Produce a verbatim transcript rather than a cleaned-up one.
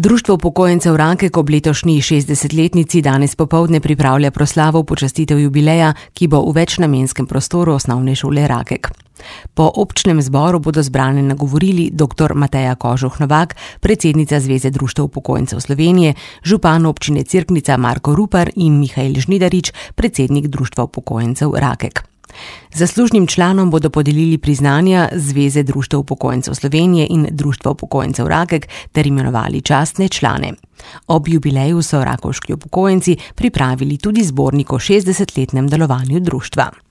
Društvo upokojencev Rakek ob letošnji šestdesetletnici danes popoldne pripravlja proslavo v počastitev jubileja, ki bo v večnamenskem prostoru Osnovne šole Rakek. Po občnem zboru bodo zbrane nagovorili doktor Mateja Kožuh-Novak, predsednica Zveze društev upokojencev Slovenije, župan občine Cerknica Marko Rupar in Mihael Žnidarič, predsednik Društva upokojencev Rakek. Zaslužnim članom bodo podelili priznanja Zveze društev upokojencev Slovenije in Društva upokojencev Rakek ter imenovali častne člane. Ob jubileju so rakovški upokojenci pripravili tudi zbornik o šestdesetletnem delovanju društva.